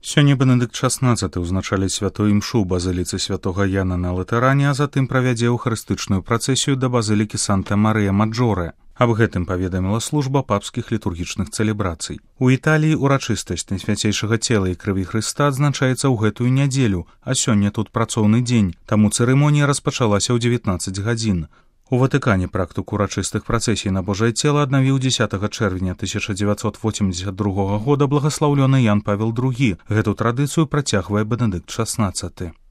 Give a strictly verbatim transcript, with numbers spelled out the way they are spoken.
Сёння Бенедыкт шаснаццаты ўзначаліць святую імшу ў базыліцы святога Яна на Латэране, а затым правядзе эўхарыстычную працэсію да базылікі Санта-Марыя-Маджоре. Аб гэтым паведаміла служба папскіх літургічных цэлебрацый. У Італіі ўрачыстасць Найсвяцейшага цела і крыві Хрыста адзначаецца ў гэтую нядзелю, а сёння тут працоўны дзень, таму цырымонія распачалася ў дзевятнаццаць гадзін. У Ватыкане практыку урачыстых працэсій на Божае цела аднавіў дзесятага чэрвеня тысяча дзевяцьсот восемьдесят другога года благаслаўлёны Ян Павел другі. Гэту традыцыю працягвае Бенедыкт шаснаццаты.